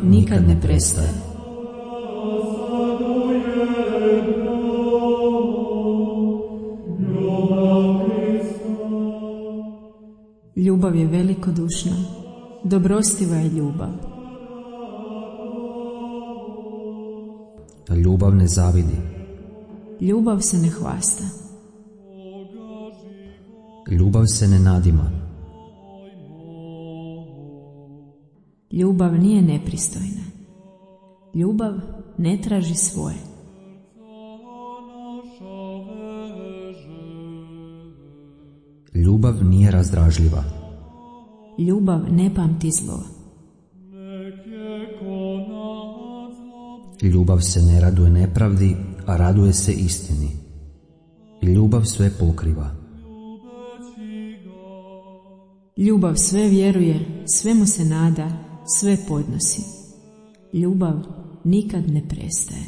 nikad ne prestaje. Ljubav je velikodušna, dobrostiva je ljubav. Ljubav ne zavidi. Ljubav se ne hvasta. Ljubav se ne nadima. Ljubav nije nepristojna. Ljubav ne traži svoje. Ljubav nije razdražljiva. Ljubav ne pamti zlo. Ljubav se ne raduje nepravdi, a raduje se istini. Ljubav sve pokriva. Ljubav sve vjeruje, svemu se nada, sve podnosi. Ljubav nikad ne prestaje.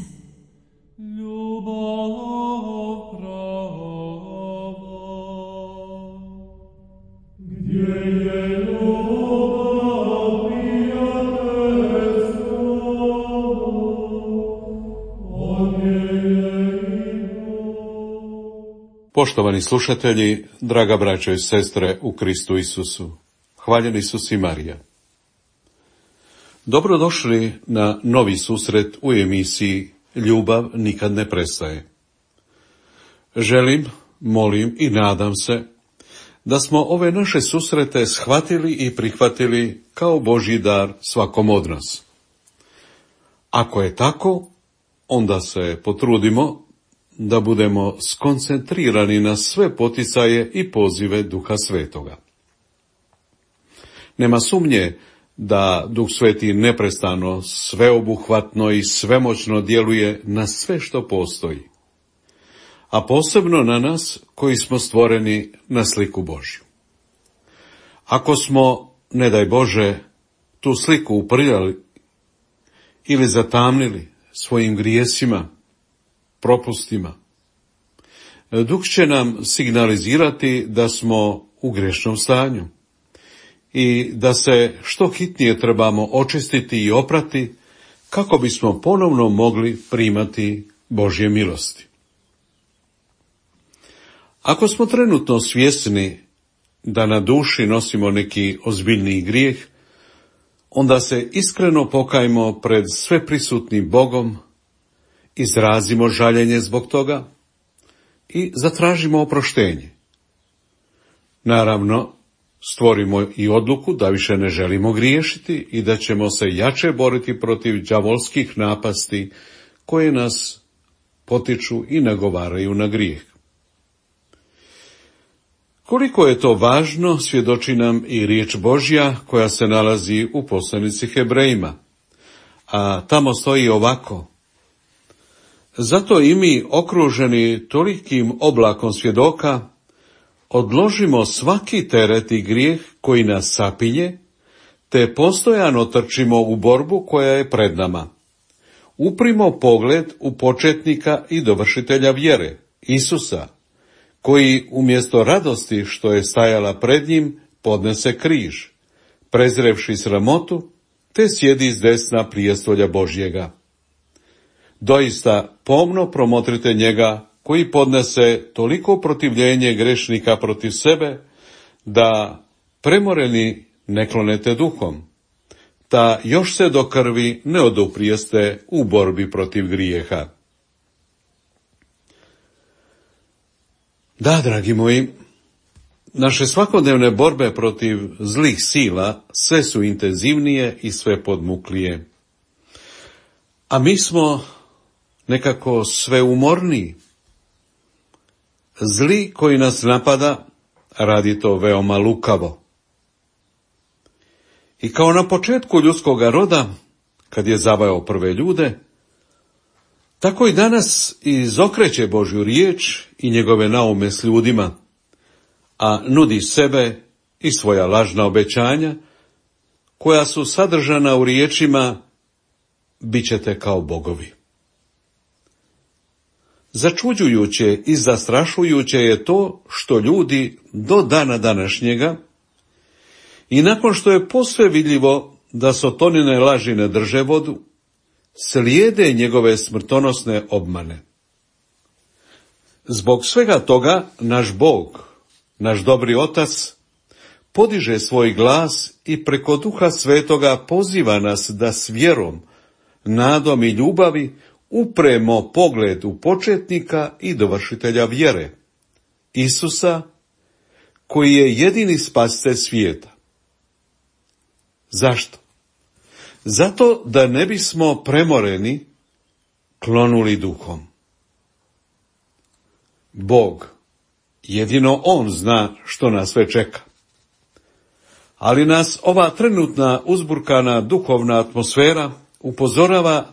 Poštovani slušatelji, draga braćo i sestre u Kristu Isusu, hvaljen Isus i Marija. Dobrodošli na novi susret u emisiji Ljubav nikad ne prestaje. Želim, molim i nadam se da smo ove naše susrete shvatili i prihvatili kao Božji dar svakom od nas. Ako je tako, onda se potrudimo da budemo skoncentrirani na sve poticaje i pozive Duha Svetoga. Nema sumnje da Duh Sveti neprestano, sveobuhvatno i svemoćno djeluje na sve što postoji, a posebno na nas koji smo stvoreni na sliku Božju. Ako smo, ne daj Bože, tu sliku uprljali ili zatamnili svojim grijesima, propustima, Duh će nam signalizirati da smo u grešnom stanju i da se što hitnije trebamo očistiti i oprati kako bismo ponovno mogli primati Božje milosti. Ako smo trenutno svjesni da na duši nosimo neki ozbiljniji grijeh, onda se iskreno pokajmo pred sveprisutnim Bogom, izrazimo žaljenje zbog toga i zatražimo oproštenje. Naravno, stvorimo i odluku da više ne želimo griješiti i da ćemo se jače boriti protiv đavolskih napasti koje nas potiču i nagovaraju na grijeh. Koliko je to važno, svjedoči nam i riječ Božja koja se nalazi u poslanici Hebrejima, a tamo stoji ovako: zato i mi, okruženi tolikim oblakom svjedoka, odložimo svaki teret i grijeh koji nas sapinje, te postojano trčimo u borbu koja je pred nama. Uprimo pogled u početnika i dovršitelja vjere, Isusa, koji umjesto radosti što je stajala pred njim, podnese križ, prezrevši sramotu, te sjedi s desna prijestolja Božjega. Doista pomno promotrite njega koji podnese toliko protivljenje grešnika protiv sebe, da premoreni ne klonete duhom, ta još se do krvi ne oduprijeste u borbi protiv grijeha. Da, dragi moji, naše svakodnevne borbe protiv zlih sila sve su intenzivnije i sve podmuklije. A mi smo nekako sve umorniji. Zli koji nas napada radi to veoma lukavo. I kao na početku ljudskoga roda, kad je zavajao prve ljude, tako i danas izokreće Božju riječ i njegove naume s ljudima, a nudi sebe i svoja lažna obećanja, koja su sadržana u riječima: bit ćete kao bogovi. Začuđujuće i zastrašujuće je to što ljudi do dana današnjega, i nakon što je posve vidljivo da Sotonine laži ne drže vodu, slijede njegove smrtonosne obmane. Zbog svega toga naš Bog, naš dobri Otac, podiže svoj glas i preko Duha Svetoga poziva nas da s vjerom, nadom i ljubavi upremo pogled u početnika i dovršitelja vjere, Isusa, koji je jedini spasitelj svijeta. Zašto? Zato da ne bismo premoreni klonuli duhom. Bog, jedino On zna što nas sve čeka. Ali nas ova trenutna uzburkana duhovna atmosfera upozorava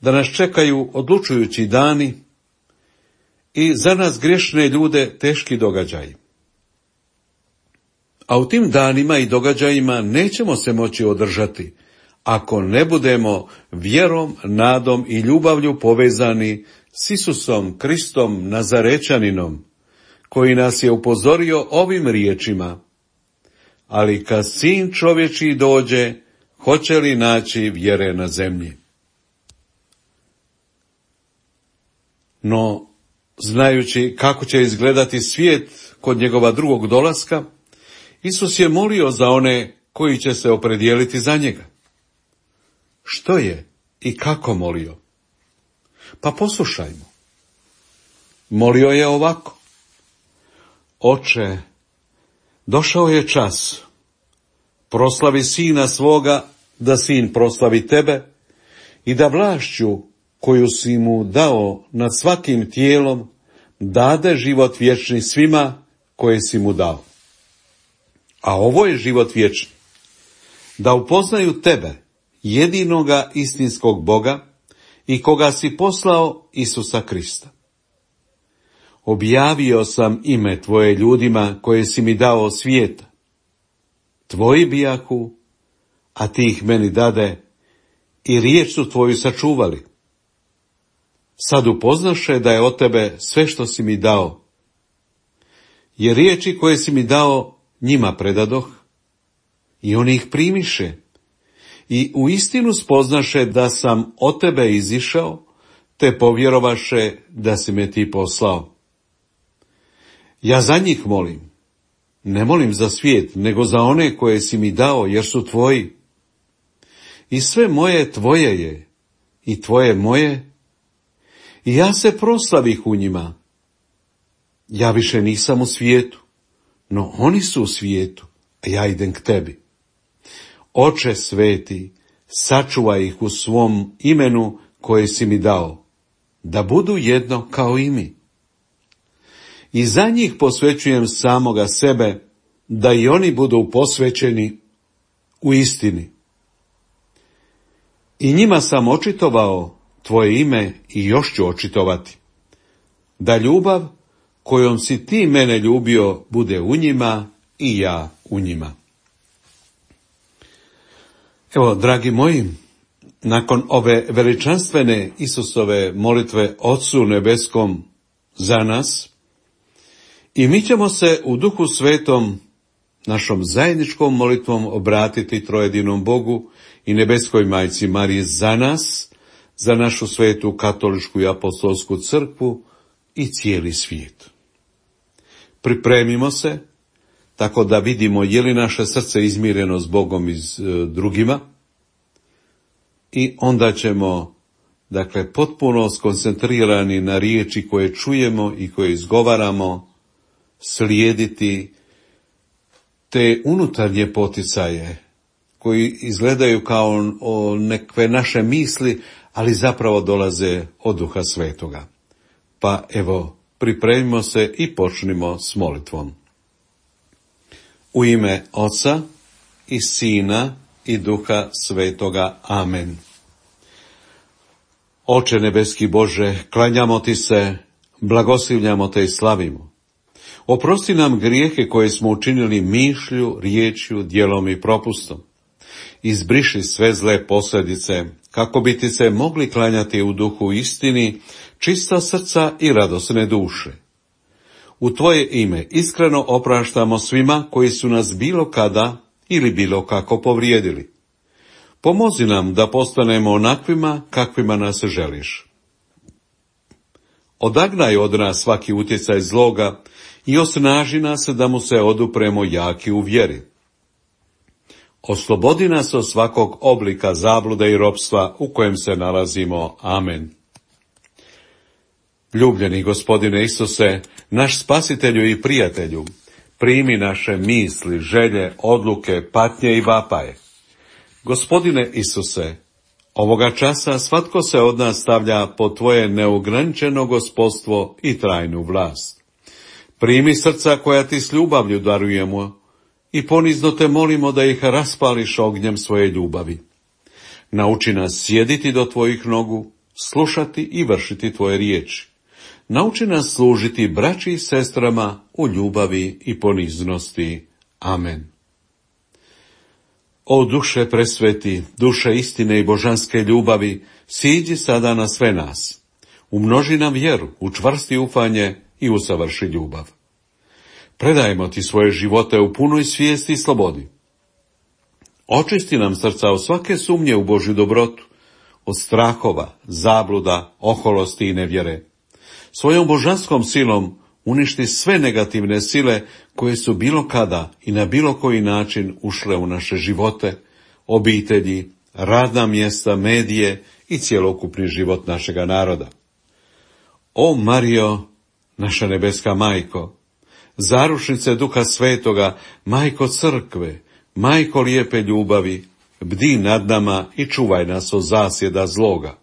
da nas čekaju odlučujući dani i za nas griješne ljude teški događaji. A u tim danima i događajima nećemo se moći održati ako ne budemo vjerom, nadom i ljubavlju povezani s Isusom Kristom Nazarečaninom, koji nas je upozorio ovim riječima: ali kad Sin čovječji dođe, hoće li naći vjere na zemlji? No, znajući kako će izgledati svijet kod njegova drugog dolaska, Isus je molio za one koji će se opredijeliti za njega. Što je i kako molio? Pa poslušajmo. Molio je ovako: Oče, došao je čas, proslavi Sina svoga, da Sin proslavi tebe i da vlašću koju si mu dao nad svakim tijelom dade život vječni svima koje si mu dao. A ovo je život vječni, da upoznaju tebe, jedinoga istinskog Boga i koga si poslao, Isusa Krista. Objavio sam ime tvoje ljudima koje si mi dao od svijeta. Tvoji bijahu, a ti ih meni dade i riječ su tvoju sačuvali. Sad upoznaše da je od tebe sve što si mi dao. Jer riječi koje si mi dao njima predadoh i oni ih primiše i uistinu spoznaše da sam od tebe izišao, te povjerovaše da si me ti poslao. Ja za njih molim, ne molim za svijet, nego za one koje si mi dao, jer su tvoji. I sve moje tvoje je, i tvoje moje, i ja se proslavih u njima. Ja više nisam u svijetu, no oni su u svijetu, a ja idem k tebi. Oče sveti, sačuvaj ih u svom imenu koje si mi dao, da budu jedno kao i mi. I za njih posvećujem samoga sebe, da i oni budu posvećeni u istini. I njima sam očitovao tvoje ime i još ću očitovati, da ljubav kojom si ti mene ljubio bude u njima i ja u njima. Evo, dragi moji, nakon ove veličanstvene Isusove molitve Otcu nebeskom za nas, i mi ćemo se u Duhu Svetom našom zajedničkom molitvom obratiti trojedinom Bogu i nebeskoj majci Mariji za nas, za našu svetu katoličku i apostolsku crkvu i cijeli svijet. Pripremimo se tako da vidimo je li naše srce izmireno s Bogom i s drugima, i onda ćemo, potpuno skoncentrirani na riječi koje čujemo i koje izgovaramo, slijediti te unutarnje poticaje koji izgledaju kao nekve naše misli, ali zapravo dolaze od Duha Svetoga. Pa evo, pripremimo se i počnimo s molitvom. U ime Oca i Sina i Duha Svetoga. Amen. Oče nebeski Bože, klanjamo ti se, blagoslivljamo te i slavimo. Oprosti nam grijehe koje smo učinili mišlju, riječju, djelom i propustom. Izbriši sve zle posljedice, kako bi ti se mogli klanjati u duhu istini, čista srca i radosne duše. U tvoje ime iskreno opraštamo svima koji su nas bilo kada ili bilo kako povrijedili. Pomozi nam da postanemo onakvima kakvima nas želiš. Odagnaj od nas svaki utjecaj zloga i osnaži nas da mu se odupremo jaki u vjeri. Oslobodi nas od svakog oblika zablude i ropstva u kojem se nalazimo. Amen. Ljubljeni Gospodine Isuse, naš spasitelju i prijatelju, primi naše misli, želje, odluke, patnje i vapaje. Gospodine Isuse, ovoga časa svatko se od nas stavlja pod tvoje neograničeno gospodstvo i trajnu vlast. Primi srca koja ti s ljubavlju darujemo i ponizno te molimo da ih raspališ ognjem svoje ljubavi. Nauči nas sjediti do tvojih nogu, slušati i vršiti tvoje riječi. Nauči nas služiti braći i sestrama u ljubavi i poniznosti. Amen. O duše presveti, duše istine i božanske ljubavi, siđi sada na sve nas. Umnoži nam vjeru, učvrsti ufanje i usavrši ljubav. Predajemo ti svoje živote u punoj svijesti i slobodi. Očisti nam srca od svake sumnje u Božju dobrotu, od strahova, zabluda, oholosti i nevjere. Svojom božanskom silom uništi sve negativne sile koje su bilo kada i na bilo koji način ušle u naše živote, obitelji, radna mjesta, medije i cjelokupni život našega naroda. O Marijo, naša nebeska majko, zarušnice Duha Svetoga, majko crkve, majko lijepe ljubavi, bdi nad nama i čuvaj nas od zasjeda zloga.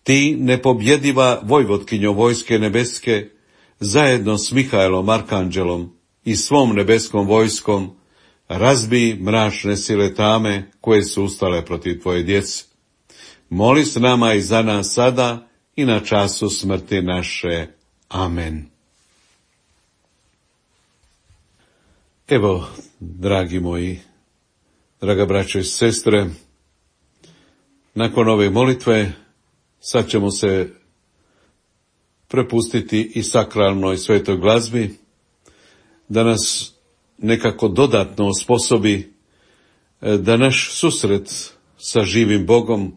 Ti, nepobjediva vojvotkinjo vojske nebeske, zajedno s Mihaelom Arkanđelom i svom nebeskom vojskom, razbij mračne sile tame koje su ustale protiv tvoje djece. Moli s nama i za nas sada i na času smrti naše. Amen. Evo, dragi moji, draga braćo i sestre, nakon ove molitve sad ćemo se prepustiti i sakralnoj svetoj glazbi, da nas nekako dodatno osposobi da naš susret sa živim Bogom,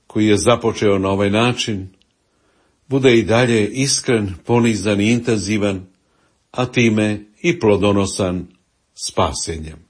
koji je započeo na ovaj način, bude i dalje iskren, ponizan i intenzivan, a time i plodonosan spasenjem.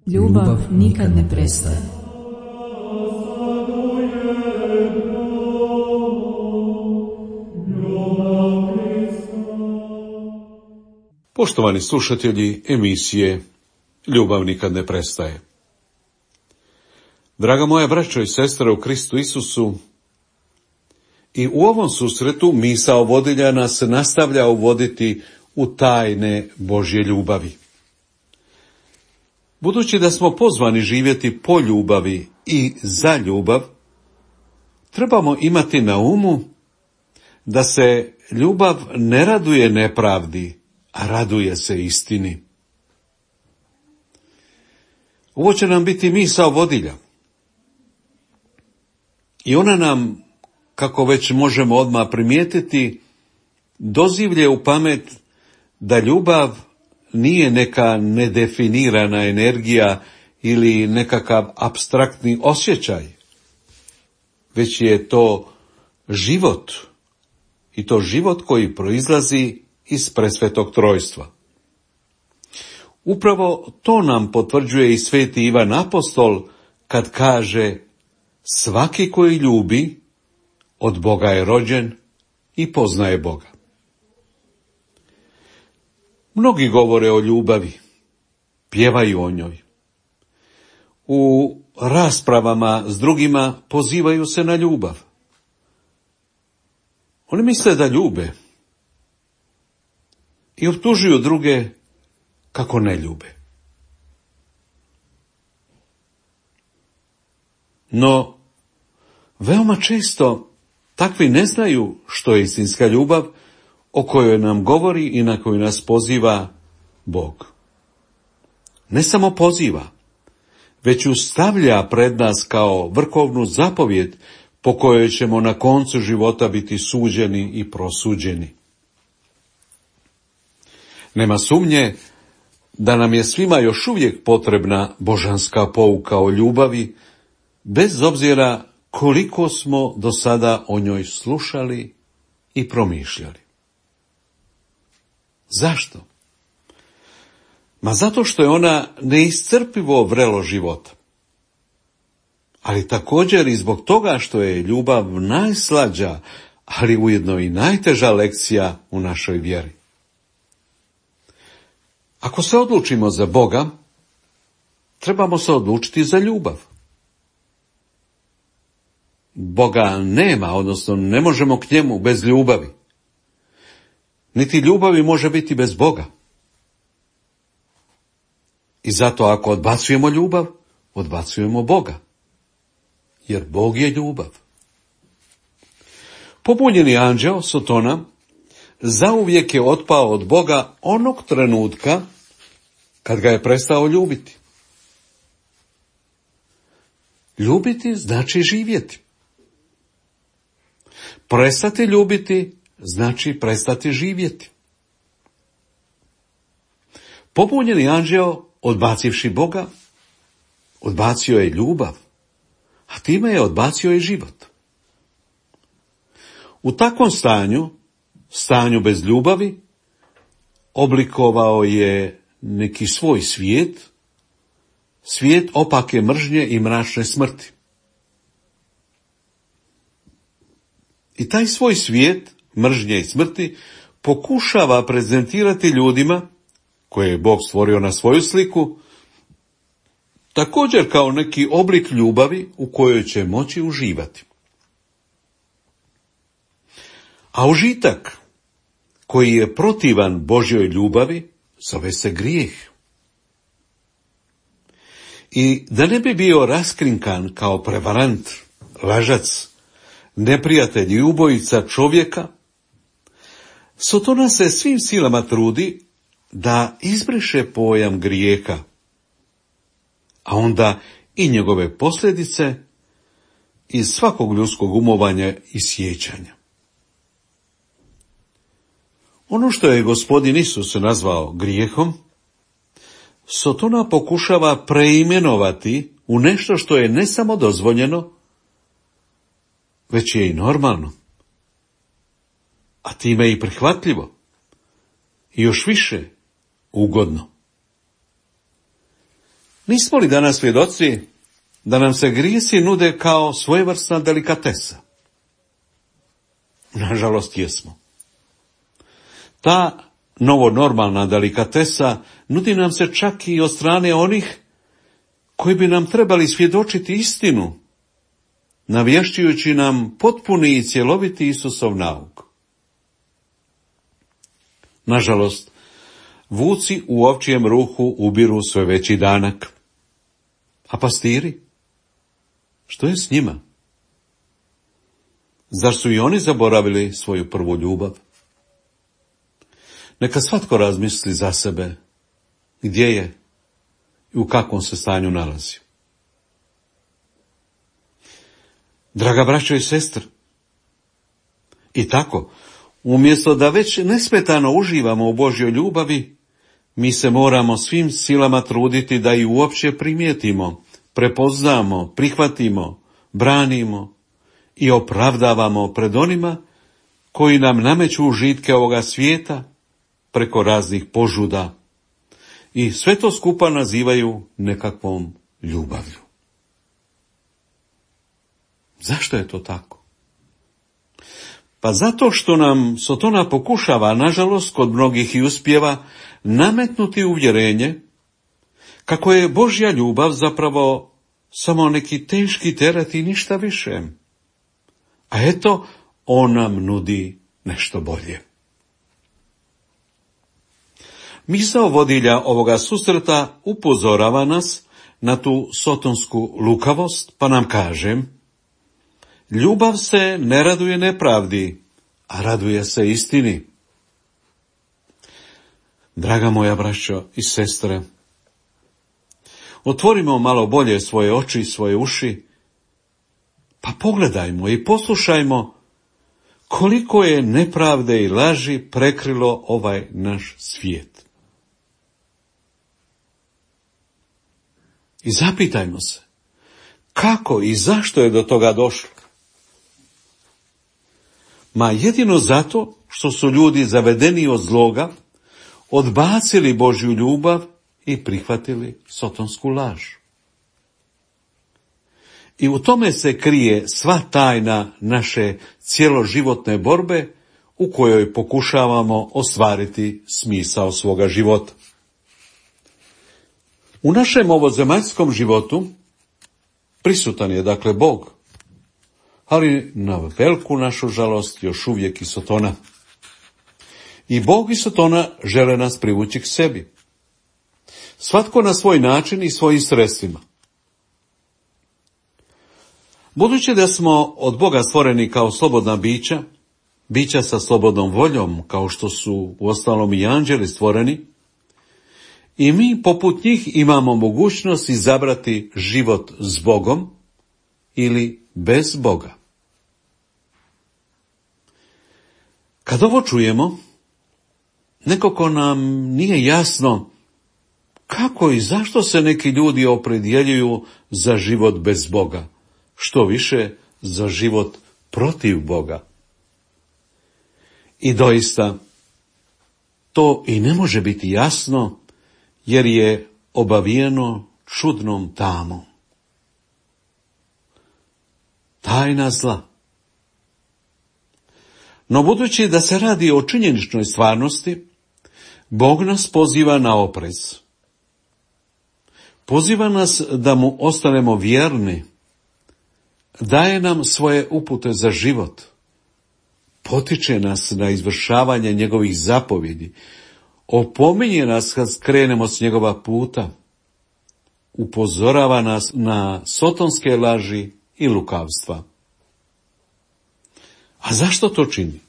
Ljubav nikad ne prestaje. Poštovani slušatelji emisije Ljubav nikad ne prestaje. Draga moja braćo i sestre u Kristu Isusu, i u ovom susretu misao vodilja nas nastavlja uvoditi u tajne Božje ljubavi. Budući da smo pozvani živjeti po ljubavi i za ljubav, trebamo imati na umu da se ljubav ne raduje nepravdi, a raduje se istini. Ovo će nam biti misao vodilja. I ona nam, kako već možemo odmah primijetiti, dozivlje u pamet da ljubav nije neka nedefinirana energija ili nekakav apstraktni osjećaj, već je to život, i to život koji proizlazi iz presvetog trojstva. Upravo to nam potvrđuje i sveti Ivan Apostol kad kaže: svaki koji ljubi od Boga je rođen i poznaje Boga. Mnogi govore o ljubavi, pjevaju o njoj. U raspravama s drugima pozivaju se na ljubav. Oni misle da ljube i optužuju druge kako ne ljube. No, veoma često takvi ne znaju što je istinska ljubav o kojoj nam govori i na koju nas poziva Bog. Ne samo poziva, već ju stavlja pred nas kao vrhovnu zapovjed po kojoj ćemo na koncu života biti suđeni i prosuđeni. Nema sumnje da nam je svima još uvijek potrebna božanska pouka o ljubavi, bez obzira koliko smo do sada o njoj slušali i promišljali. Zašto? Ma zato što je ona neiscrpivo vrelo života. Ali također i zbog toga što je ljubav najslađa, ali ujedno i najteža lekcija u našoj vjeri. Ako se odlučimo za Boga, trebamo se odlučiti za ljubav. Boga nema, odnosno ne možemo k njemu bez ljubavi. Niti ljubavi može biti bez Boga. I zato ako odbacujemo ljubav, odbacujemo Boga. Jer Bog je ljubav. Pobunjeni anđeo, Sotona, zauvijek je otpao od Boga onog trenutka kad ga je prestao ljubiti. Ljubiti znači živjeti. Prestati ljubiti znači prestati živjeti. Pobunjeni anđeo, odbacivši Boga, odbacio je ljubav, a time je odbacio i život. U takvom stanju bez ljubavi, oblikovao je neki svoj svijet, svijet opake mržnje i mračne smrti. I taj svoj svijet mržnje i smrti pokušava prezentirati ljudima, koje je Bog stvorio na svoju sliku, također kao neki oblik ljubavi u kojoj će moći uživati. A užitak koji je protivan Božjoj ljubavi zove se grijeh. I da ne bi bio raskrinkan kao prevarant, lažac, neprijatelj i ubojica čovjeka, Sotona se svim silama trudi da izbriše pojam grijeha, a onda i njegove posljedice iz svakog ljudskog umovanja i sjećanja. Ono što je Gospodin Isus nazvao grijehom, Sotona pokušava preimenovati u nešto što je ne samo dozvoljeno, već je i normalno, a time i prihvatljivo, i još više ugodno. Nismo li danas svjedoci da nam se grijesi nude kao svojevrsna delikatesa? Nažalost, jesmo. Ta novonormalna delikatesa nudi nam se čak i od strane onih koji bi nam trebali svjedočiti istinu, navješćujući nam potpuni i cjeloviti Isusov nauk. Nažalost, vuci u ovčijem ruhu ubiru sve veći danak. A pastiri? Što je s njima? Zar su i oni zaboravili svoju prvu ljubav? Neka svatko razmisli za sebe gdje je i u kakvom se stanju nalazi. Draga braćo i sestre, i tako, umjesto da već nesmetano uživamo u Božjoj ljubavi, mi se moramo svim silama truditi da i uopće primijetimo, prepoznamo, prihvatimo, branimo i opravdavamo pred onima koji nam nameću užitke ovoga svijeta preko raznih požuda i sve to skupa nazivaju nekakvom ljubavlju. Zašto je to tako? Pa zato što nam Sotona pokušava, nažalost, kod mnogih i uspijeva, nametnuti uvjerenje kako je Božja ljubav zapravo samo neki teški teret i ništa više. A eto, on nam nudi nešto bolje. Misao vodilja ovoga susreta upozorava nas na tu sotonsku lukavost, pa nam kaže: ljubav se ne raduje nepravdi, a raduje se istini. Draga moja braćo i sestre, otvorimo malo bolje svoje oči i svoje uši, pa pogledajmo i poslušajmo koliko je nepravde i laži prekrilo ovaj naš svijet. I zapitajmo se, kako i zašto je do toga došlo? Ma jedino zato što su ljudi zavedeni od zloga, odbacili Božju ljubav i prihvatili sotonsku laž. I u tome se krije sva tajna naše cjeloživotne borbe u kojoj pokušavamo ostvariti smisao svoga života. U našem ovozemaljskom životu prisutan je dakle Bog, ali na veliku našu žalost još uvijek i Sotona. I Bog i Sotona žele nas privući k sebi. Svatko na svoj način i svojim sredstvima. Budući da smo od Boga stvoreni kao slobodna bića, bića sa slobodnom voljom, kao što su uostalom i anđeli stvoreni, i mi poput njih imamo mogućnost izabrati život s Bogom ili bez Boga. Kad ovo čujemo, nekako nam nije jasno kako i zašto se neki ljudi opredjeljuju za život bez Boga, što više za život protiv Boga. I doista, to i ne može biti jasno, jer je obavijeno čudnom tamom. Tajna zla. No budući da se radi o činjeničnoj stvarnosti, Bog nas poziva na oprez. Poziva nas da mu ostanemo vjerni, daje nam svoje upute za život, potiče nas na izvršavanje njegovih zapovjedi, opominje nas kad skrenemo s njegova puta, upozorava nas na sotonske laži i lukavstva. A zašto to čini?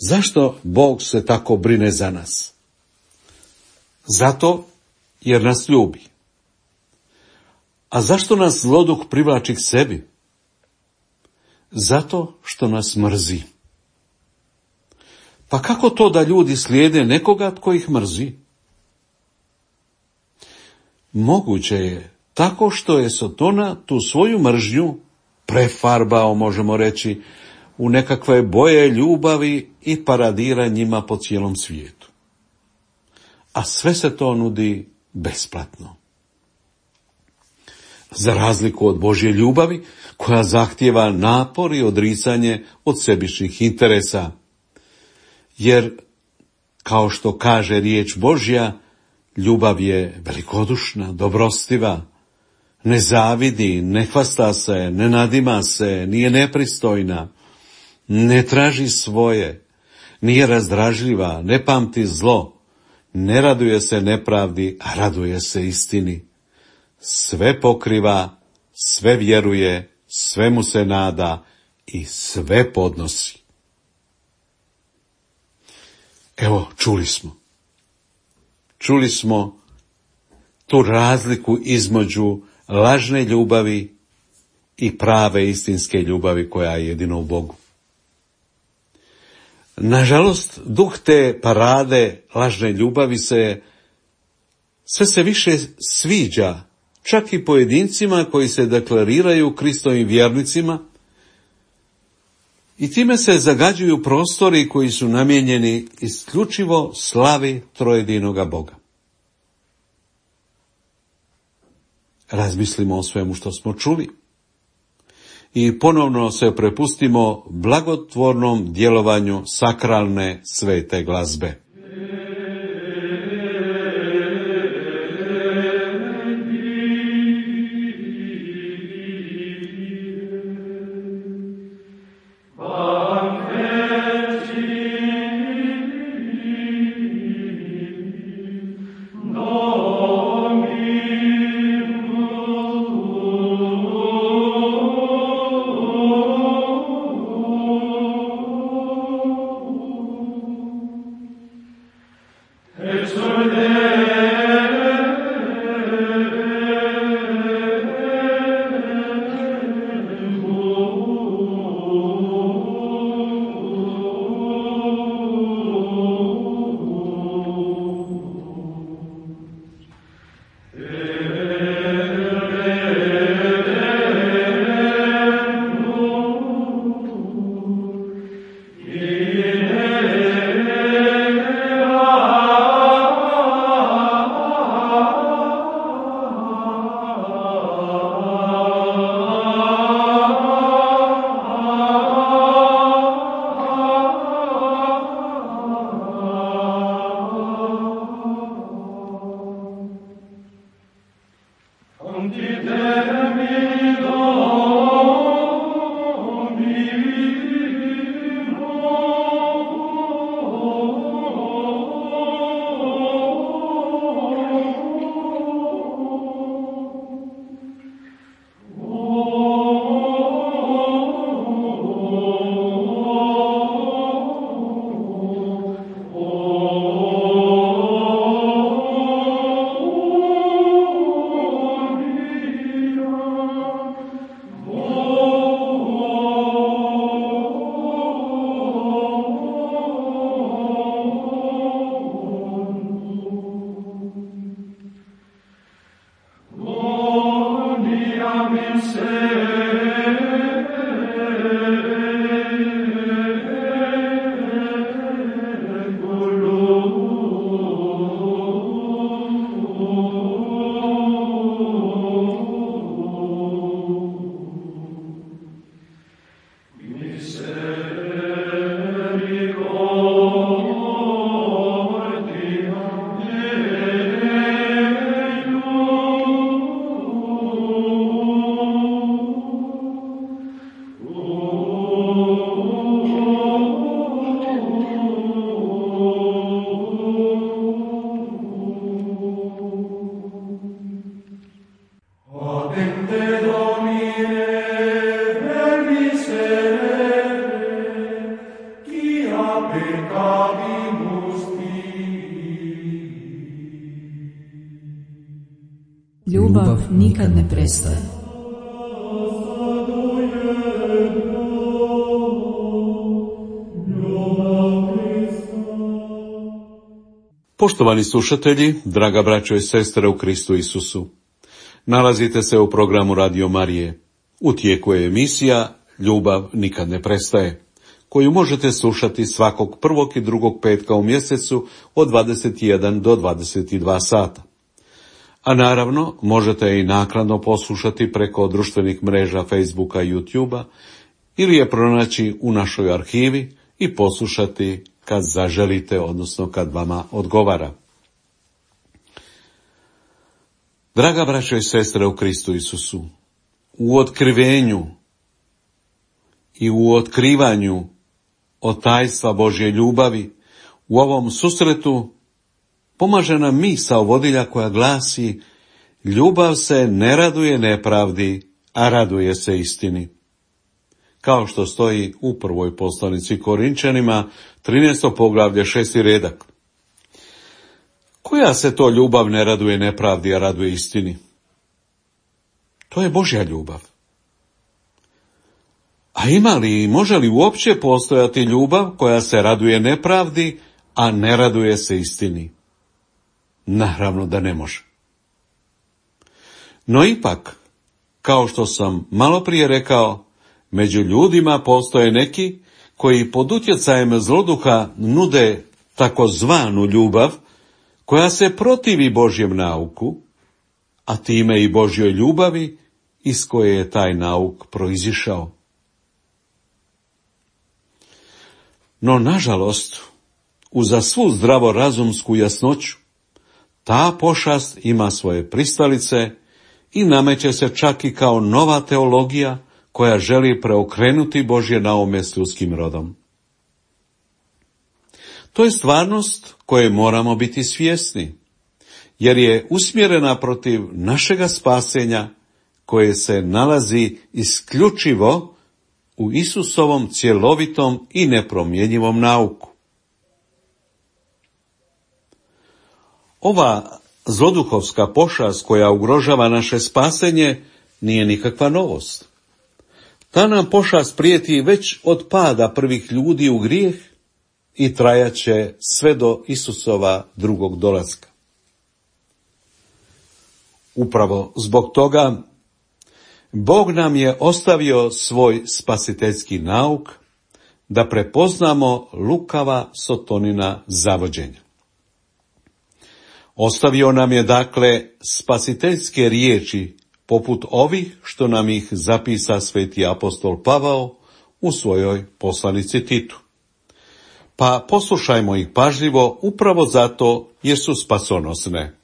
Zašto Bog se tako brine za nas? Zato jer nas ljubi. A zašto nas zloduh privlači k sebi? Zato što nas mrzi. Pa kako to da ljudi slijede nekoga tko ih mrzi? Moguće je tako što je Sotona tu svoju mržnju prefarbao, možemo reći, u nekakve boje ljubavi i paradira njima po cijelom svijetu. A sve se to nudi besplatno. Za razliku od Božje ljubavi, koja zahtijeva napor i odricanje od sebičnih interesa. Jer, kao što kaže riječ Božja, Ljubav je velikodušna, dobrostiva, ne zavidi, ne hvasta se, ne nadima se, nije nepristojna, ne traži svoje, nije razdražljiva, ne pamti zlo, ne raduje se nepravdi, a raduje se istini. Sve pokriva, sve vjeruje, svemu se nada i sve podnosi. Evo, čuli smo tu razliku između lažne ljubavi i prave istinske ljubavi koja je jedino u Bogu. Nažalost, duh te parade lažne ljubavi sve se više sviđa, čak i pojedincima koji se deklariraju Kristovim vjernicima, i time se zagađuju prostori koji su namijenjeni isključivo slavi trojedinoga Boga. Razmislimo o svemu što smo čuli i ponovno se prepustimo blagotvornom djelovanju sakralne svete glazbe. Ljubav nikad ne prestaje. Poštovani slušatelji, draga braćo i sestre u Kristu Isusu, nalazite se u programu Radio Marije. U tijeku je emisija Ljubav nikad ne prestaje, koju možete slušati svakog prvog i drugog petka u mjesecu od 21 do 22 sata. A naravno, možete i naknadno poslušati preko društvenih mreža Facebooka i YouTubea ili je pronaći u našoj arhivi i poslušati kad zaželite, odnosno kad vama odgovara. Draga braćo i sestre u Kristu Isusu, u otkrivenju i u otkrivanju od tajstva Božje ljubavi u ovom susretu pomaže nam misao vodilja koja glasi: ljubav se ne raduje nepravdi, a raduje se istini. Kao što stoji u prvoj poslanici Korinčanima, 13. poglavlje, 6. redak. Koja se to ljubav ne raduje nepravdi, a raduje istini? To je Božja ljubav. A ima li i može li uopće postojati ljubav koja se raduje nepravdi, a ne raduje se istini? Naravno da ne može. No ipak, kao što sam malo prije rekao, među ljudima postoje neki koji pod utjecajem zloduha nude takozvanu ljubav koja se protivi Božjem nauku, a time i Božjoj ljubavi iz koje je taj nauk proizišao. No, nažalost, uza svu zdravorazumsku jasnoću, ta pošast ima svoje pristalice i nameće se čak i kao nova teologija koja želi preokrenuti Božje naume s ljudskim rodom. To je stvarnost koje moramo biti svjesni, jer je usmjerena protiv našega spasenja koje se nalazi isključivo u Isusovom cjelovitom i nepromjenjivom nauku. Ova zloduhovska pošast koja ugrožava naše spasenje nije nikakva novost. Ta nam pošast prijeti već od pada prvih ljudi u grijeh i trajaće sve do Isusova drugog dolaska. Upravo zbog toga Bog nam je ostavio svoj spasiteljski nauk da prepoznamo lukava Sotonina zavođenja. Ostavio nam je dakle spasiteljske riječi poput ovih što nam ih zapisa sveti apostol Pavao u svojoj poslanici Titu. Pa poslušajmo ih pažljivo upravo zato jer su spasonosne.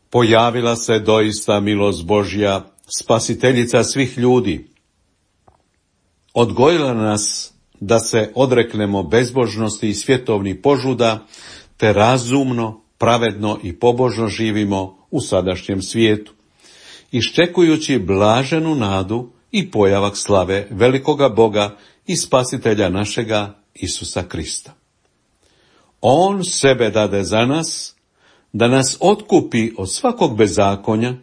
Pojavila se doista milost Božja, spasiteljica svih ljudi. Odgojila nas da se odreknemo bezbožnosti i svjetovnih požuda, te razumno, pravedno i pobožno živimo u sadašnjem svijetu, iščekujući blaženu nadu i pojavak slave velikoga Boga i spasitelja našega Isusa Krista. On sebe dade za nas, da nas otkupi od svakog bezakonja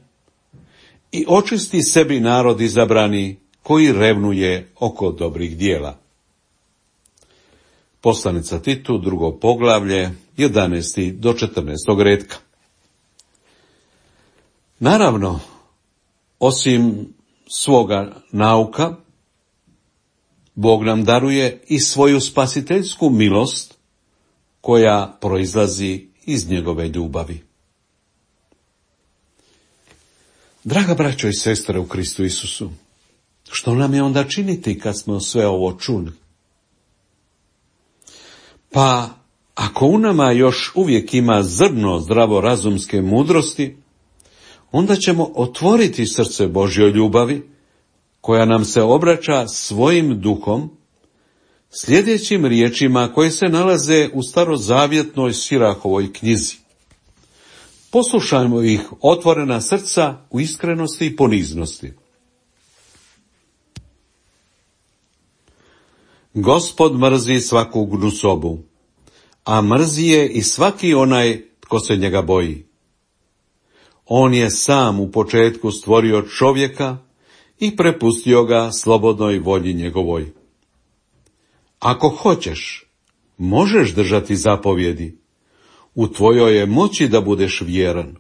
i očisti sebi narod izabrani koji revnuje oko dobrih dijela. Poslanica Titu, 2. poglavlje, 11. do 14. retka. Naravno, osim svoga nauka, Bog nam daruje i svoju spasiteljsku milost koja proizlazi iz njegove ljubavi. Draga braćo i sestre u Kristu Isusu, što nam je onda činiti kad smo sve ovo čuli? Pa, ako u nama još uvijek ima zrno zdravorazumske mudrosti, onda ćemo otvoriti srce Božjoj ljubavi, koja nam se obraća svojim duhom, sljedećim riječima koje se nalaze u starozavjetnoj Sirahovoj knjizi. Poslušajmo ih otvorena srca u iskrenosti i poniznosti. Gospod mrzi svaku gnusobu, a mrzi je i svaki onaj tko se njega boji. On je sam u početku stvorio čovjeka i prepustio ga slobodnoj volji njegovoj. Ako hoćeš, možeš držati zapovjedi, u tvojoj je moći da budeš vjeran.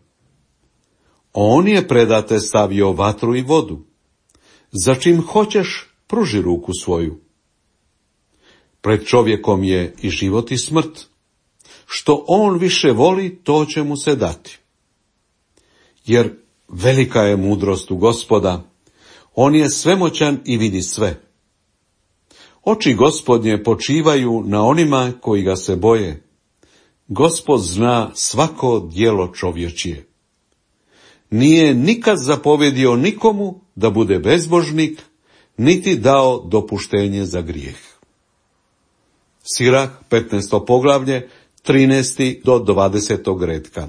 On je predate stavio vatru i vodu, za čim hoćeš pruži ruku svoju. Pred čovjekom je i život i smrt, što on više voli, to će mu se dati. Jer velika je mudrost u Gospoda, on je svemoćan i vidi sve. Oči Gospodnje počivaju na onima koji ga se boje, Gospod zna svako djelo čovječije. Nije nikad zapovjedio nikomu da bude bezbožnik, niti dao dopuštenje za grijeh. Sirah, 15. poglavlje, 13. do 20. redka.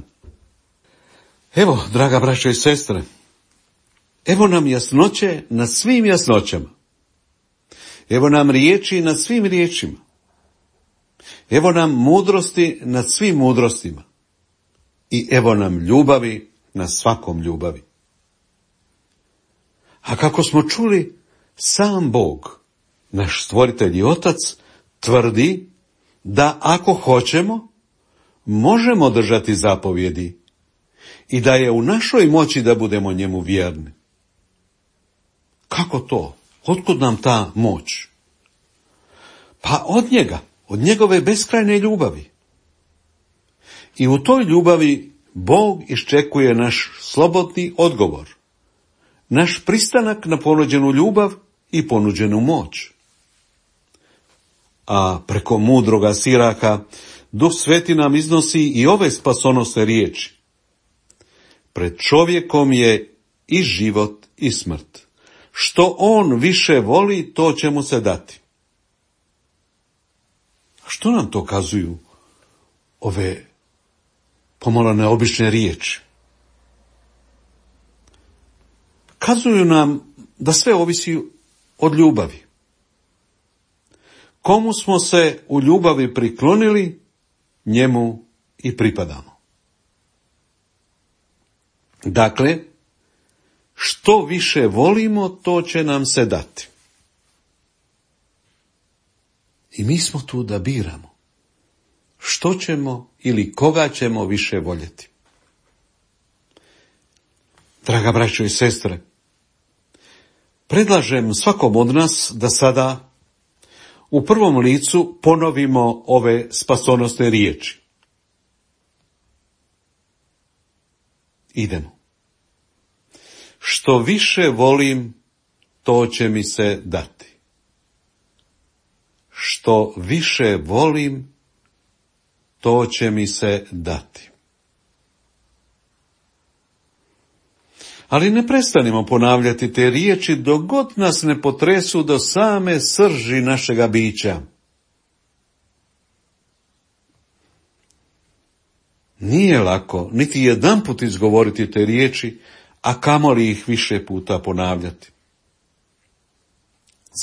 Evo, draga braćo i sestre, evo nam jasnoće nad svim jasnoćama. Evo nam riječi nad svim riječima. Evo nam mudrosti nad svim mudrostima. I evo nam ljubavi nad svakom ljubavi. A kako smo čuli, sam Bog, naš stvoritelj i otac, tvrdi da ako hoćemo, možemo držati zapovjedi i da je u našoj moći da budemo njemu vjerni. Kako to? Otkud nam ta moć? Pa od njega, od njegove beskrajne ljubavi. I u toj ljubavi Bog iščekuje naš slobodni odgovor, naš pristanak na ponuđenu ljubav i ponuđenu moć. A preko mudroga Siraha Duh Sveti nam iznosi i ove spasonosne riječi. Pred čovjekom je i život i smrt. Što on više voli, to će mu se dati. Što nam to kazuju ove pomalo neobične riječi? Kazuju nam da sve ovisi od ljubavi. Komu smo se u ljubavi priklonili, njemu i pripadamo. Dakle, što više volimo, to će nam se dati. I mi smo tu da biramo što ćemo ili koga ćemo više voljeti. Draga braćo i sestre, predlažem svakom od nas da sada u prvom licu ponovimo ove spasonosne riječi. Idemo. Što više volim, to će mi se dati. Što više volim, to će mi se dati. Ali ne prestanimo ponavljati te riječi dok god nas ne potresu do same srži našega bića. Nije lako niti jedanput izgovoriti te riječi, a kamoli ih više puta ponavljati.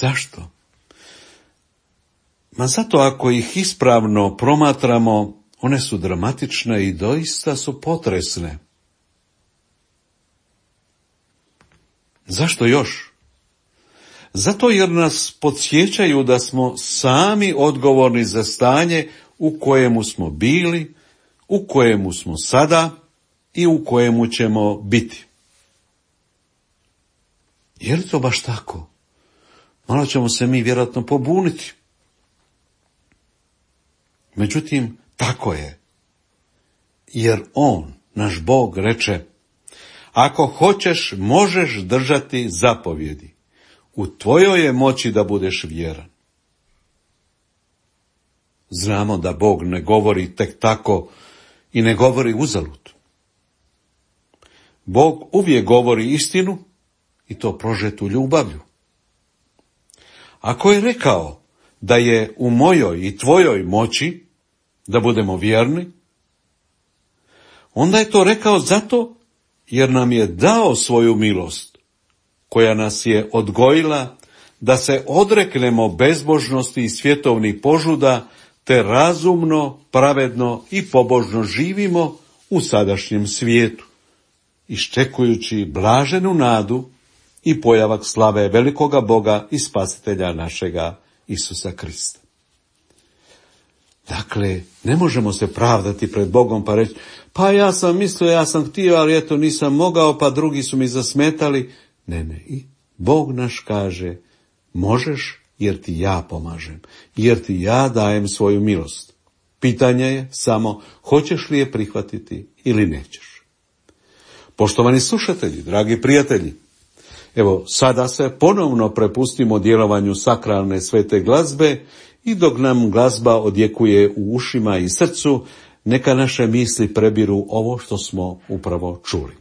Zašto? Ma zato ako ih ispravno promatramo, one su dramatične i doista su potresne. Zašto još? Zato jer nas podsjećaju da smo sami odgovorni za stanje u kojemu smo bili, u kojemu smo sada i u kojemu ćemo biti. Je li to baš tako? Malo ćemo se mi vjerojatno pobuniti. Međutim, tako je. Jer on, naš Bog, reče: ako hoćeš, možeš držati zapovjedi. U tvojoj je moći da budeš vjeran. Znamo da Bog ne govori tek tako i ne govori uzalud. Bog uvijek govori istinu i to prožetu ljubavlju. Ako je rekao da je u mojoj i tvojoj moći da budemo vjerni, onda je to rekao zato jer nam je dao svoju milost, koja nas je odgojila da se odreknemo bezbožnosti i svjetovnih požuda, te razumno, pravedno i pobožno živimo u sadašnjem svijetu, iščekujući blaženu nadu i pojavak slave velikoga Boga i Spasitelja našega Isusa Krista. Dakle, ne možemo se pravdati pred Bogom pa reći: pa ja sam mislio, ja sam htio, ali eto nisam mogao, pa drugi su mi zasmetali. Ne, i Bog naš kaže: možeš jer ti ja pomažem, jer ti ja dajem svoju milost. Pitanje je samo hoćeš li je prihvatiti ili nećeš. Poštovani slušatelji, dragi prijatelji, evo sada se ponovno prepustimo djelovanju sakralne svete glazbe i dok nam glazba odjekuje u ušima i srcu, neka naše misli prebiru ovo što smo upravo čuli.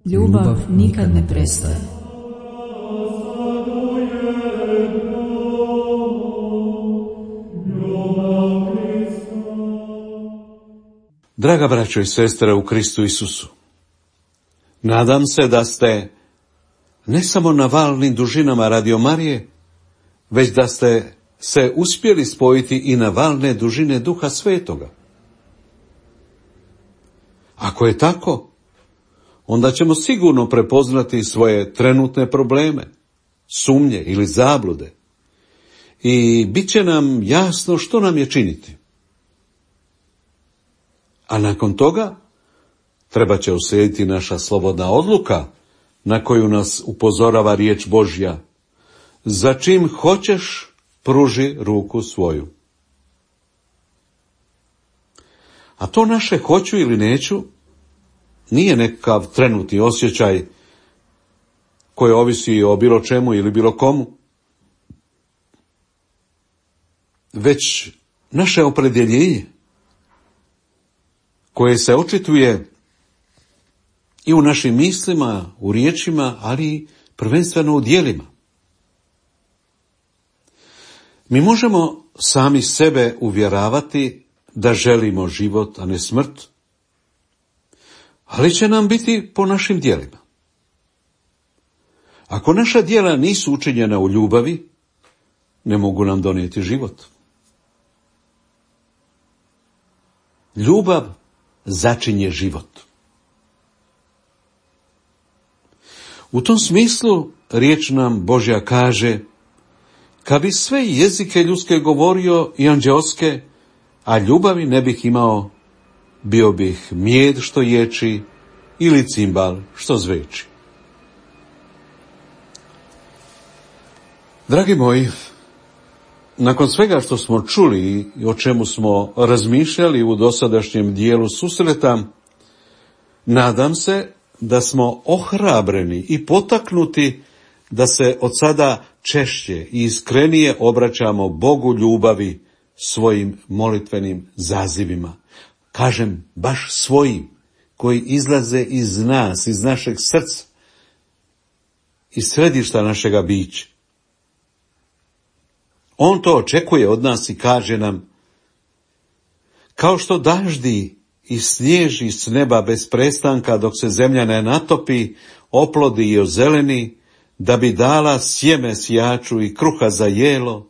Ljubav nikad ne prestaje. Draga braćo i sestre u Kristu Isusu, nadam se da ste ne samo na valnim dužinama Radio Marije, već da ste se uspjeli spojiti i na valne dužine Duha Svetoga. Ako je tako, onda ćemo sigurno prepoznati svoje trenutne probleme, sumnje ili zablude i bit će nam jasno što nam je činiti. A nakon toga treba će uslijediti naša slobodna odluka na koju nas upozorava riječ Božja. Za čim hoćeš, pruži ruku svoju. A to naše hoću ili neću nije nekakav trenutni osjećaj koji ovisi o bilo čemu ili bilo komu, već naše opredjeljenje koje se očituje i u našim mislima, u riječima, ali prvenstveno u djelima. Mi možemo sami sebe uvjeravati da želimo život, a ne smrt, ali će nam biti po našim djelima. Ako naša djela nisu učinjena u ljubavi, ne mogu nam donijeti život. Ljubav začinje život. U tom smislu riječ nam Božja kaže: kad bi sve jezike ljudske govorio i anđeoske, a ljubavi ne bih imao, bio bih mijed što ječi ili cimbal što zveči. Dragi moji, nakon svega što smo čuli i o čemu smo razmišljali u dosadašnjem dijelu susreta, nadam se da smo ohrabreni i potaknuti da se od sada češće i iskrenije obraćamo Bogu ljubavi svojim molitvenim zazivima. Kažem, baš svojim, koji izlaze iz nas, iz našeg srca, iz središta našega bića. On to očekuje od nas i kaže nam: kao što daždi i snježi s neba bez prestanka dok se zemlja ne natopi, oplodi i ozeleni, da bi dala sjeme sjaču i kruha za jelo,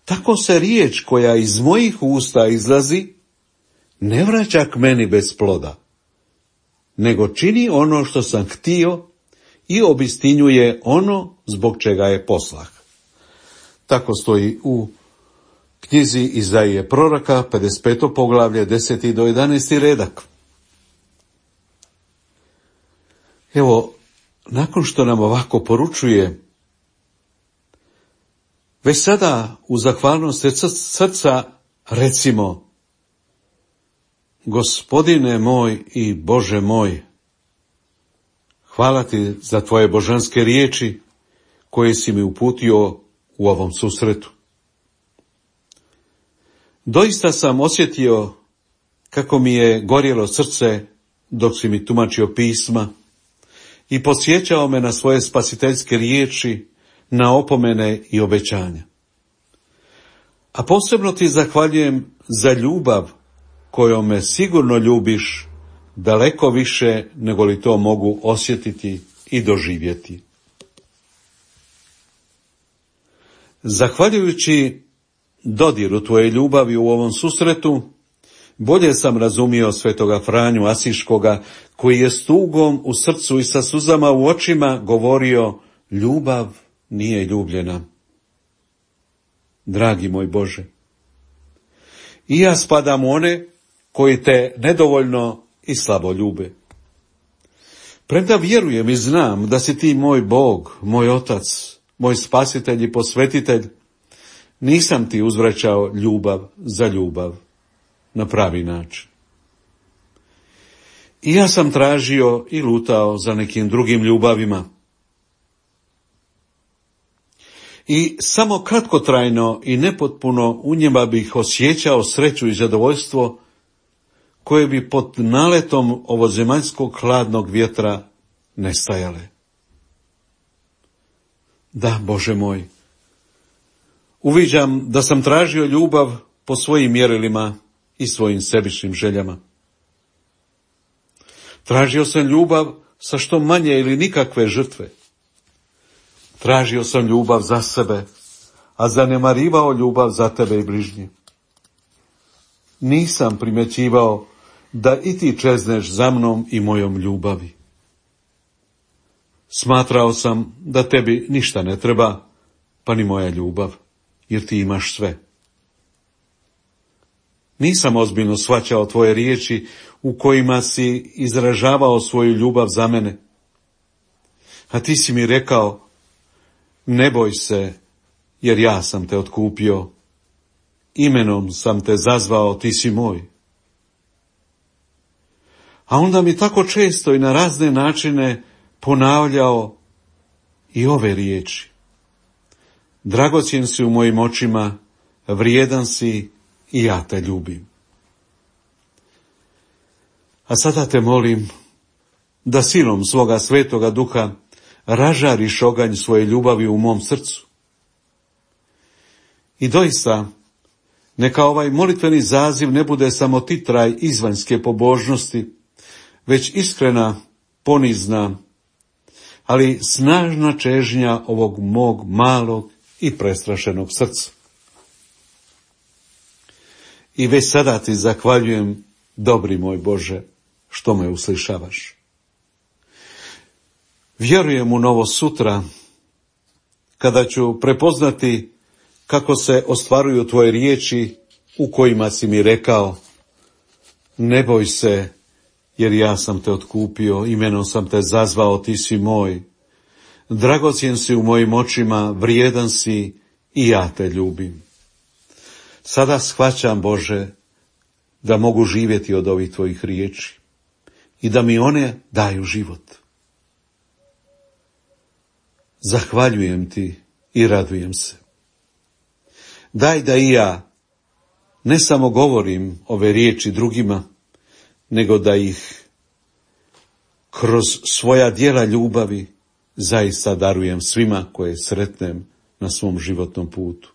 tako se riječ koja iz mojih usta izlazi ne vraća k meni bez ploda, nego čini ono što sam htio i obistinjuje ono zbog čega je poslah. Tako stoji u knjizi Izaije proroka, 55. poglavlje, 10. do 11. redak. Evo, nakon što nam ovako poručuje, već sada u zahvalnost srca recimo: Gospodine moj i Bože moj, hvala ti za tvoje božanske riječi koje si mi uputio u ovom susretu. Doista sam osjetio kako mi je gorjelo srce dok si mi tumačio pisma i podsjećao me na svoje spasiteljske riječi, na opomene i obećanja. A posebno ti zahvaljujem za ljubav kojom me sigurno ljubiš daleko više nego li to mogu osjetiti i doživjeti. Zahvaljujući dodiru tvoje ljubavi u ovom susretu, bolje sam razumio svetoga Franju Asiškoga, koji je s tugom u srcu i sa suzama u očima govorio: ljubav nije ljubljena. Dragi moj Bože, i ja spadam u one koji te nedovoljno i slabo ljube. Premda vjerujem i znam da si ti moj Bog, moj Otac, moj spasitelj i posvetitelj, nisam ti uzvraćao ljubav za ljubav na pravi način. I ja sam tražio i lutao za nekim drugim ljubavima. I samo kratkotrajno i nepotpuno u njima bih osjećao sreću i zadovoljstvo koje bi pod naletom ovozemaljskog hladnog vjetra nestajale. Da, Bože moj, uviđam da sam tražio ljubav po svojim mjerilima i svojim sebičnim željama. Tražio sam ljubav sa što manje ili nikakve žrtve. Tražio sam ljubav za sebe, a zanemarivao ljubav za tebe i bližnje. Nisam primjećivao da i ti čezneš za mnom i mojom ljubavi. Smatrao sam da tebi ništa ne treba, pa ni moja ljubav, jer ti imaš sve. Nisam ozbiljno shvaćao tvoje riječi u kojima si izražavao svoju ljubav za mene. A ti si mi rekao: ne boj se, jer ja sam te otkupio. Imenom sam te zazvao, ti si moj. A onda mi tako često i na razne načine ponavljao i ove riječi. Dragocjen si u mojim očima, vrijedan si i ja te ljubim. A sada te molim da silom svoga Svetoga Duha ražariš oganj svoje ljubavi u mom srcu. I doista, neka ovaj molitveni zaziv ne bude samo titraj izvanjske pobožnosti, već iskrena, ponizna, ali snažna čežnja ovog mog malog i prestrašenog srca. I već sada ti zahvaljujem, dobri moj Bože, što me uslišavaš. Vjerujem u novo sutra, kada ću prepoznati kako se ostvaruju tvoje riječi u kojima si mi rekao: ne boj se, jer ja sam te otkupio, imenom sam te zazvao, ti si moj. Dragocjen si u mojim očima, vrijedan si i ja te ljubim. Sada shvaćam, Bože, da mogu živjeti od ovih tvojih riječi i da mi one daju život. Zahvaljujem ti i radujem se. Daj da i ja ne samo govorim ove riječi drugima, nego da ih kroz svoja djela ljubavi zaista darujem svima koje sretnem na svom životnom putu.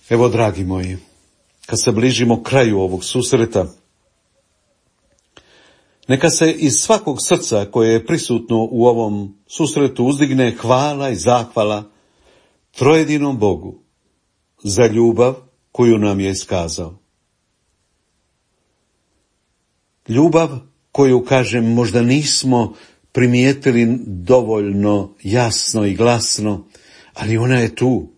Evo, dragi moji, kad se bližimo kraju ovog susreta, neka se iz svakog srca koje je prisutno u ovom susretu uzdigne hvala i zahvala trojedinom Bogu za ljubav koju nam je iskazao. Ljubav koju, kažem, možda nismo primijetili dovoljno jasno i glasno, ali ona je tu.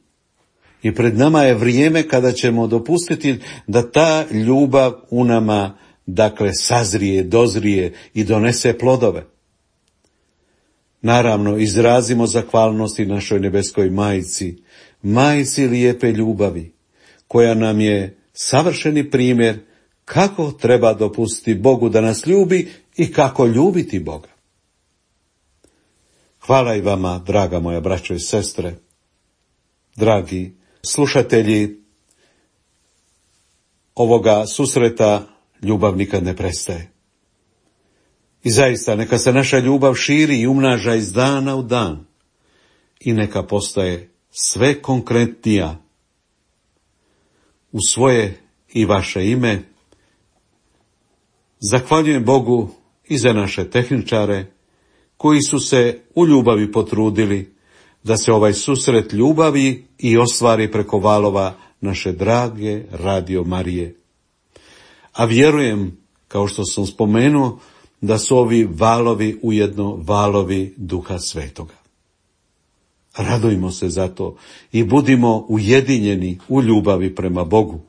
I pred nama je vrijeme kada ćemo dopustiti da ta ljubav u nama, dakle, sazrije, dozrije i donese plodove. Naravno, izrazimo zahvalnost i našoj nebeskoj majci, majci lijepe ljubavi, koja nam je savršeni primjer kako treba dopustiti Bogu da nas ljubi i kako ljubiti Boga. Hvala i vama, draga moja braćo i sestre, dragi slušatelji ovoga susreta. Ljubav nikad ne prestaje. I zaista, neka se naša ljubav širi i umnaža iz dana u dan i neka postaje sve konkretnija. U svoje i vaše ime zahvaljujem Bogu i za naše tehničare koji su se u ljubavi potrudili da se ovaj susret ljubavi i ostvari preko valova naše drage Radio Marije. A vjerujem, kao što sam spomenuo, da su ovi valovi ujedno valovi Duha Svetoga. Radujmo se za to i budimo ujedinjeni u ljubavi prema Bogu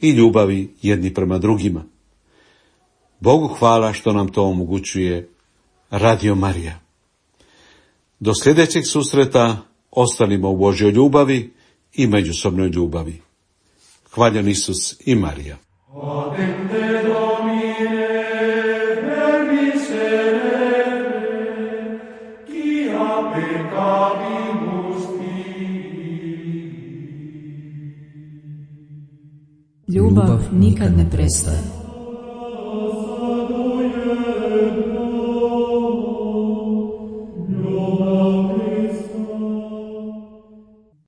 i ljubavi jedni prema drugima. Bogu hvala što nam to omogućuje Radio Marija. Do sljedećeg susreta ostanimo u Božjoj ljubavi i međusobnoj ljubavi. Hvaljen Isus i Marija. Adende Domine, verbis celere, quia peccavimus tibi. Ljubav nikad ne prestaje.